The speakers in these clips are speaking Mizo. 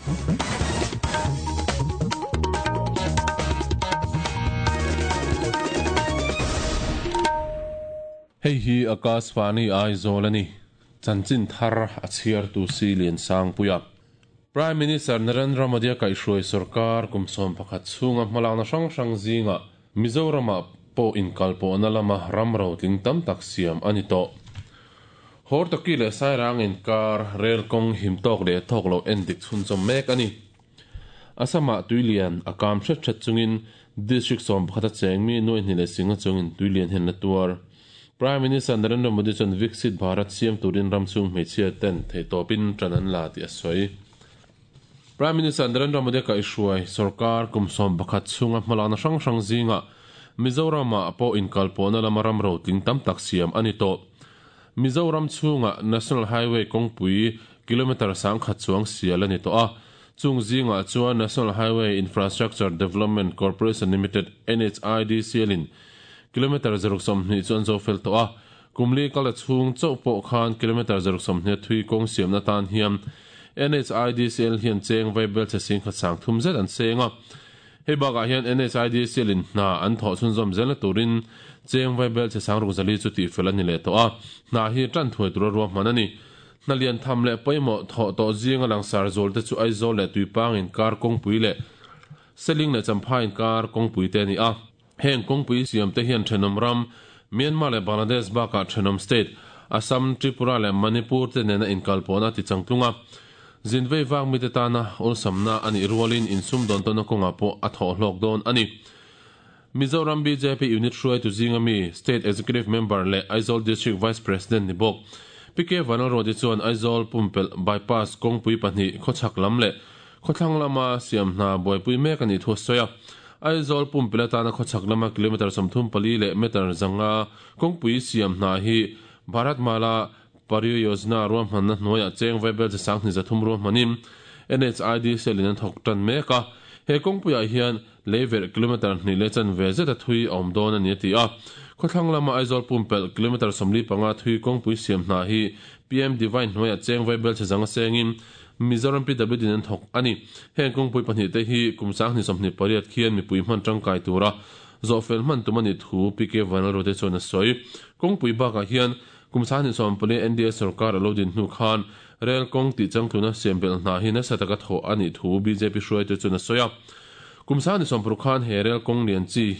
Hei hi Akashvani Aizawl a ni. Chanchin thar a chhiartu si Liansangpuia. Prime Minister Narendra Modi-a kaihhruai sorkar kum 11 chhunga hmalakna hrang hrang zingah Mizoramah pawh inkalpawhna lama ram rotling tam tak siam a ni tawh. Hortoki leh Sairang inkar rel kawng him tawk leh tawk loh endik chhunchawm mek a ni. Assam-ah tuilian a kam hret hret chungin District 11 a cheng mi nuai hnih leh singa chungin tuilian hian la tuar. Prime Minister Narendra Modi chuan Viksit Bharat siam turin ram chhung hmeichhia ten theihtawpin tan an la tih a sawi. Prime Minister Narendra Modi kaihhruai sorkar kum 11 chhunga hmalakna hrang hrang zingah Mizoramah pawh inkalpawhna lama ram rotling tam tak siam a ni tawh. Mizoram chhunga National Highway kawngpui kilometre 1000 chuang sial a ni tawh a. Chung zingah chuan National Highway Infrastructure Development Corporation Limited, NHIDCL in kilometre 120 chu an zo fel tawh a. Kumli kala chhung chauh pawh khan kilometre 120 thui kawng siamna tan hian NHIDCL hian cheng vaibel che sing khat sang thum zet an seng a. Hei bakah hian NHIDCL in hna an thawh chhunzawm zelna turin cheng vaibel che sang ruk zali chu tihfel a ni leh tawh a. Hna hi tan thuai tura ruahman a ni. Hna lian tham leh pawimawh thawh tawh zinga langsar zual te chu Aizawl leh Tuipang inkar kawngpui leh Seling leh Champhai inkar kawngpui te a ni a. Heng kawngpui siam te hian thenawm ram Myanmar leh Bangladesh bakah thenawm state Assam, Tripura leh Manipur te nena inkalpawhna ti changtlung a. Zinvei vak mite tana awlsamna a nih rualin insum dawn tawhna kawngah pawh a thawh hlawk dawn a ni. Mizoram BJP unit hruaitu zinga mi State Executive Member leh Aizawl District Vice President ni bawk PK Vanlalruati chuan Aizawl pumpelh bypass kawngpui pahnih khawchhak lam leh khawthlang lama siam hna buaipui mek a nih thu a sawi a. Aizawl pumpelh atana khawchhak lama kilometre 34 leh meter 500 kawngpui siam hna hi Bharat Mala Pariyojana ruahmanna hnuaiah cheng vaibel che sang hnih zathum ruahmanin NHIDCL in an thawk tan mek a. He kawngpuiah hian leiverh kilometre hnih leh chanve zeta thui a awm dawn a ni a ti a. Khawthlang lama Aizawl pumpelh kilometre 45 thui kawngpui siam hna hi PM Divine hnuaiah cheng vaibel che zanga sengin Mizoram PWD in an thawk a ni. Heng kawngpui pahnih te hi kum 2028 khian mipui hman tangkai tura zawhfel hman tum a nih thu PK Vanlalruate chuan a sawi. Kawngpui bakah hian kum 2024 NDA sorkar a lo din hnu khan rel kawng tih changtluna siam belh hna hi nasa taka thawh a nih thu BJP hruaitu chuan a sawi a. Kum 2020 khan he rel kawng lian chi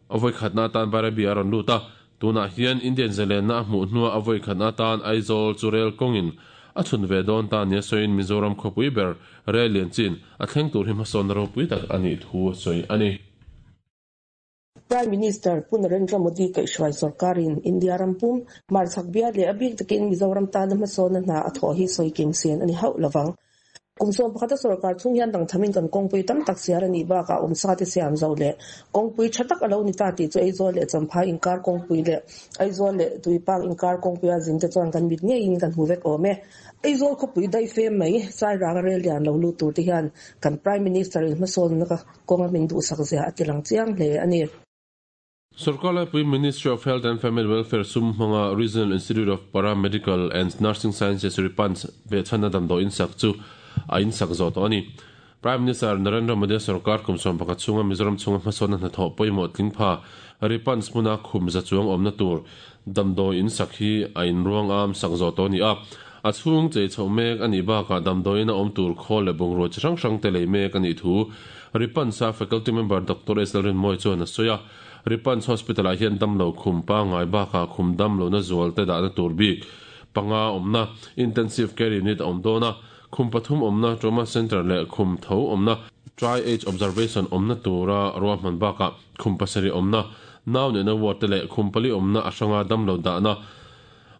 a vawi khatna atan Bairabi a rawn lut a. Tunah hian Indian zalenna a hmuh hnuah a vawi khatna atan Aizawl chu rel kawngin a chhun ve dawn ta nia sawiin Mizoram khawpui ber rel lian chin a thleng tur hi hmasawnna ropui tak a nih thu a sawi a ni. Prime Minister Pu Narendra Modi kaihhruai sorkarin India ram pum hmarchhak bial leh a bik takin Mizoram tana hmasawnna hna a thawh hi sawi kim sen a ni hauh lovang. Kum 11 a sorkar chhung hian dangthamin kan kawngpui tam tak sial a nih bakah awmsa te siam zo leh kawngpui tha tak a lo ni ta tih chu Aizawl leh Champhai inkar kawngpui leh Aizawl leh Tuipang inkar kawngpuia zin te chuan kan mit ngeiin kan hmu vek awm e. Aizawl khawpui daifem mai Sairang rel lian lo lut tur te hian kan Prime Minister in hmasawnna kawnga min duhsak zia a tilang chiang hle a ni. Sorkar laipui Ministry of Health and Family Welfare sum hmanga Regional Institute of Paramedical and Nursing Sciences RIPANS behchhanna damdawi insak chu a insak zawh tawh a ni. Prime Minister Narendra Modi sorkar kum 11 chhunga Mizoram chhunga hmasawnna hnathawh pawimawh tlingpha RIPANS hmuna khum za chuang awmna tur damdawi insak hi a inruang am sak zawh tawh a ni a. A chhung chei chhoh mek a nih bakah damdawiin a awm tur khawl leh bungrua chi hrang hrang te lei mek a nih thu RIPANS a faculty member Dr. S. Lalrinmawii chuan a sawi a. RIPANS Hospital-ah hian damlo khum pangngai bakah khum damlohna zual te dahna tur bik panga awmna Intensive Care Unit a awm dawn a, khum pathum awmna Trauma Centre leh khum tho awmna Triage Observation awmna tura ruahman bakah khum pasarih awmna nau neihna ward te leh khum pali awmna a hranga damlo dahna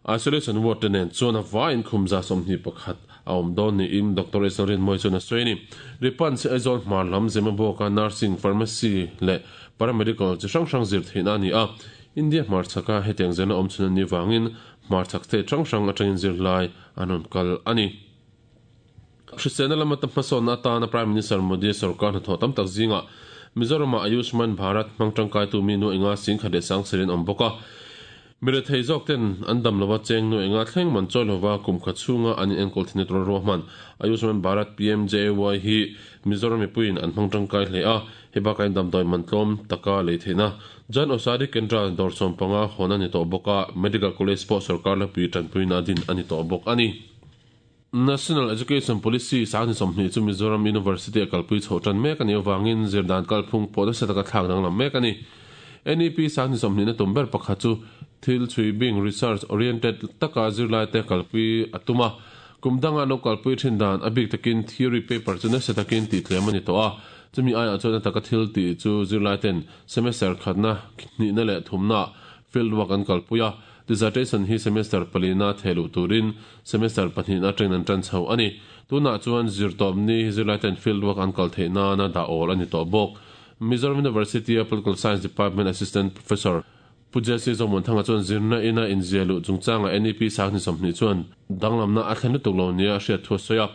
Isolation ward te nen chuan a vaiin khum 121 a awm dawn niin Dr. S. Lalrinmawii chuan a sawi a ni. RIPANS hi Aizawl hmar lam Zemabawka Nursing, Pharmacy leh Paramedical chi hrang hrang zir theihna a ni a. India hmarchhaka hetiang zirna awm chhun an nih vangin hmarchhak state hrang hrang atangin zirlai an rawn kal a ni. Hriselna lama ta hmasawnna atana Prime Minister Modi sorkar hnathawh tam tak zingah Mizoramah Ayushman Bharat hmang tangkaitu mi nu inga sing khat leh sang sirin awm bawk a. Mirethei zawk ten an dam lova cheng nu enga thleng man chawi lova kum khat chhunga an inenkawl thin tura ruahman Ayushman Bharat PMJAY hi Mizoram mipuiin an hmang tangkai hle a, hei bakah in damdawi man tlawm taka lei theihna Jan Aushadhi Kendra dawr 15 hawn a ni tawh bawk a, Medical College pawh sorkar hlapui tanpuina din a ni tawh bawk a ni. National Education Policy 2020 chu Mizoram University a kalpui chhoh tan mek a nih avangin zirdan kalphung pawh nasa taka thlak danglam mek a ni. NEP 2020 na tum ber pakhat chu thil chhui bing, research oriented, taka zirlaite kalpui a tum a. Kum danga lo kalpui thin dan a bik takin theory paper chu nasa takin tih tlem a ni tawh a. Chumi aiah chuan a taka thil tih chu zirlaiten semester khatna, hnihna leh thumna field work an kalpui a. Dissertation hi semester palina thehluh turin semester pahnihna atangin an tan chho a ni. Tunah chuan zirtawpni hi zirlaiten field work an kal theih nana dah awl a ni tawh bawk. Mizoram University-a Political Science Department Assistant Professor Pu Jesse Zomuanthanga chuan zirna ina inziah luh chungchangah NEP 2020 chuan danglamna a thlen lutuk lo nia a hriat thu a sawi a.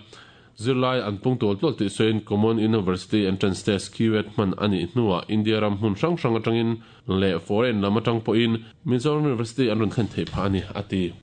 Zirlai an pung tual tual tih sawiin Common University Entrance Test, CUET, hman a nih hnuah India ram hmun hrang hrang atangin leh foreign lam atang pawhin Mizoram University an rawn thlen theih phah a ni, a ti.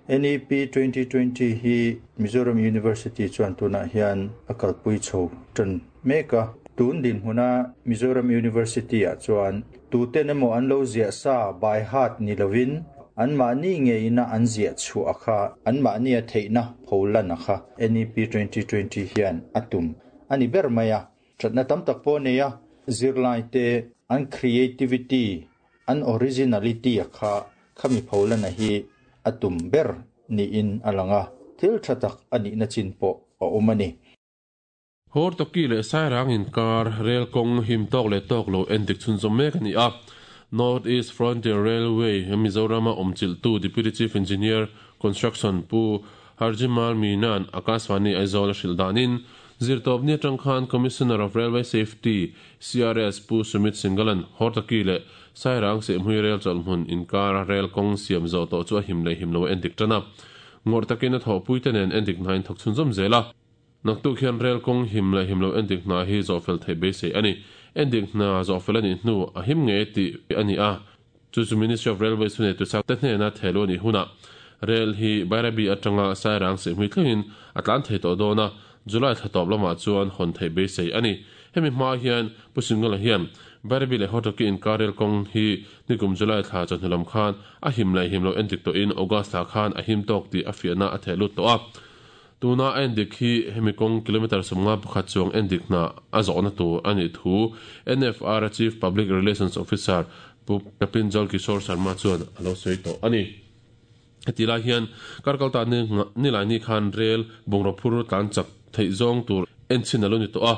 NEP 2020 hi Mizoram University chuan tunah hian a kalpui chho tan mek a. Tun dinhmuna Mizoram University-ah chuan tuten emaw an lo ziah sa by heart ni lovin anmahni ngeina an ziah chhuah a kha, anmahnia theihna pholan a kha NEP 2020 hian a tum a ni ber mai a. Thatna tam tak pawh a nei a, zirlaite an creativity, an originality a kha khami pholana hi a tum ber niin a lang a, thil tha tak a nihna chin pawh a awm a ni. Hortoki leh Sairang inkar rel kawng him tawk leh tawk lo endik chhunzawm mek a ni a. North East Frontier Railway Mizorama awmchilhtu Deputy Chief Engineer, Construction, Pu Harjimal Meena'n Akashvani Aizawl a hrilh danin, Zirtawpni atang khan Commissioner of Railway Safety, CRS, Pu Sumit Singhal-a'n Hortoki leh Sairang Sehmui rel chawlhhmun inkara rel kawng siam zawh tawh chu a him leh him lo a endik tan a. Ngawrh takin a thawhpuite nen endik hna in thawk chhunzawm zel a. Naktuk hian rel kawng him leh him lo endik hna hi zawhfel theih beisei a ni. Endik hna zawhfel a nih hnu a him ngei tih a ni a, chu chu Ministry of Railways hunei tusak te hnena thehluh a nih hunah rel hi Bairabi atanga Sairang Sihhmui thlengin a tlan thei tawh dawn a, July thla tawp lamah chuan hawn theih beisei a ni. Hemi hma hian Pu Singala hian Bairabi leh Hotaki inkar rel kawng hi nikum July thla chawhnu lam khan a him leh him lo endik tawhin August thla khan a him tawk tih a fiahna a theh lut tawh a. Tuna a endik hi hemi kawng kilometre 51 chuang endik hna a zawhna tur a nih thu NFR Chief Public Relations Officer Pu Kapinjal Kishore Sharma chuan a lo sawi tawh a ni. Heti lai hian Karkalta Nilaini khan rel bungraw phur tlan chak theih zawng tur enchhin a lo ni tawh a.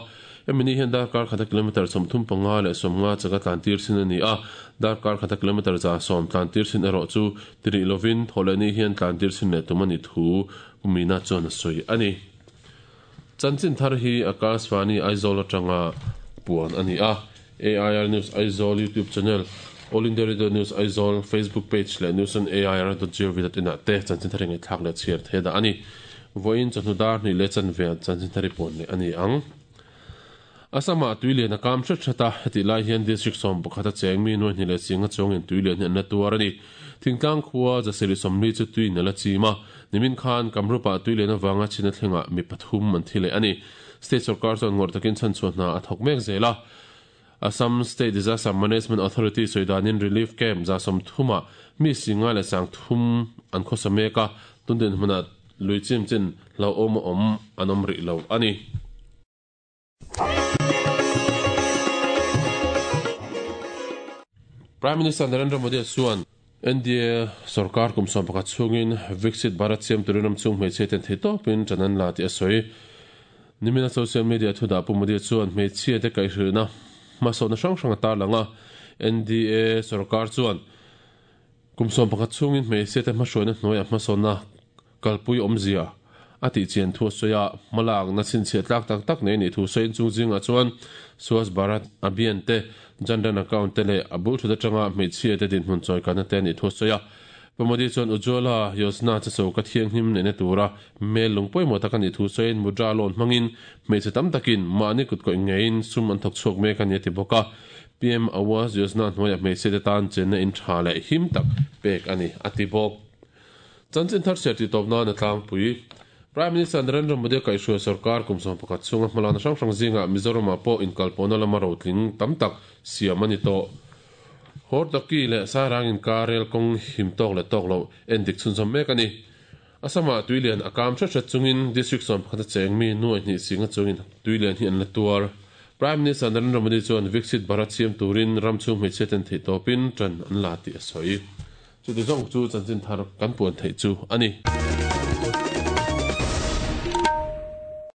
Hemi ni hian darkar khata kilometre 35 leh 50 chaka tlan tir chin a ni a, darkar khata kilometre 110 tlan tir chin erawh chu ti rih lovin thawhlehni hian tlan tir chin leh tum a nih thu Pu Mina chuan a sawi a ni. Chanchin thar hi Akashvani Aizawl atanga puan a ni a. AIR News Aizawl YouTube channel, All India Radio News Aizawl Facebook page leh news on air dot gov dot in ah te chanchin thar hi ngaihthlak leh chhiar thei dah a ni. Vawiin chawhnu dar hnih leh chanve ah chanchin thar hi puan leh a ni ang. Assam-ah tuilian a kam hret hret a, hetih lai hian District 11 a cheng mi nuai hnih leh singa chuangin tuilian hi an la tuar a ni. Thingtlang khua Zasiri 40 chu tuiin a la chim a, nimin khan Kamrup-ah tuilian avanga chhina thlengah mi pathum an thi leh a ni. State sorkar chuan ngawrh takin chhanchhuah hna a thawk mek zel a. Assam State Disaster Management Authority sawi danin relief camp 130-ah mi singa leh 30 an khawsa mek a, tun dinhmunah lui chim chin hlauhawm a awm an awm rih lo a ni. Prime Minister Narendra Modi chuan NDA sorkar kum 11 chhungin Viksit Bharat siam turin ram chung hmeichhia ten thei tawpin ṭan an la tih a sawi. Nimina social media thudah Pu Modi chuan hmeichhia te kaihhrilhna hmasawhna hrang hrang a tarlang a, NDA sorkar chuan kum 11 chhungin hmeichhia te hmahruaina hnuaiah hmasawnna kalpui awmzia a tih chian thu a sawi a, hmalakna chhinchhiah tlak tak tak nei nih thu sawiin chung zingah chuan Swachh Bharat Abhiyan te, Jan Dhan Account te leh a bul thut atanga hmeichhia te dinhmun chawikanna te a nih thu a sawi a. Pu Modi chuan Ujjwala Yojana chu choka thianghlim neihna tura hmel lung pawimawh tak a nih thu sawiin Mudra loan hmangin hmeichhe tam takin mahni kutkawih ngeiin sum an thawk chhuak mek a ni a ti bawk a. PM Awas Yojana hnuaiah hmeichhiate tan chenna in tha leh him tak pek a ni, a ti bawk. Chanchin thar chhiar tih tawp nan a tlangpui. Prime Minister Narendra Modi-a kaihhruai sorkar kum 11 chhunga hmalakna hrang hrang zingah Mizoramah pawh inkalpawhna lama rotling tam tak siam a ni tawh. Hortoki leh Sairang inkar rel kawng him tawk leh tawk loh endik chhunzawm mek a ni. Assam-ah tuilian a kam hret hret chungin District 11 a cheng mi nuai hnih singa chungin tuilian hi an la tuar. Prime Minister Narendra Modi chuan Viksit Bharat siam turin ram chhung hmeichhia ten theihtawpin tan an la tih a sawi. Chuti zawng chu chanchin thar kan puan theih chu a ni.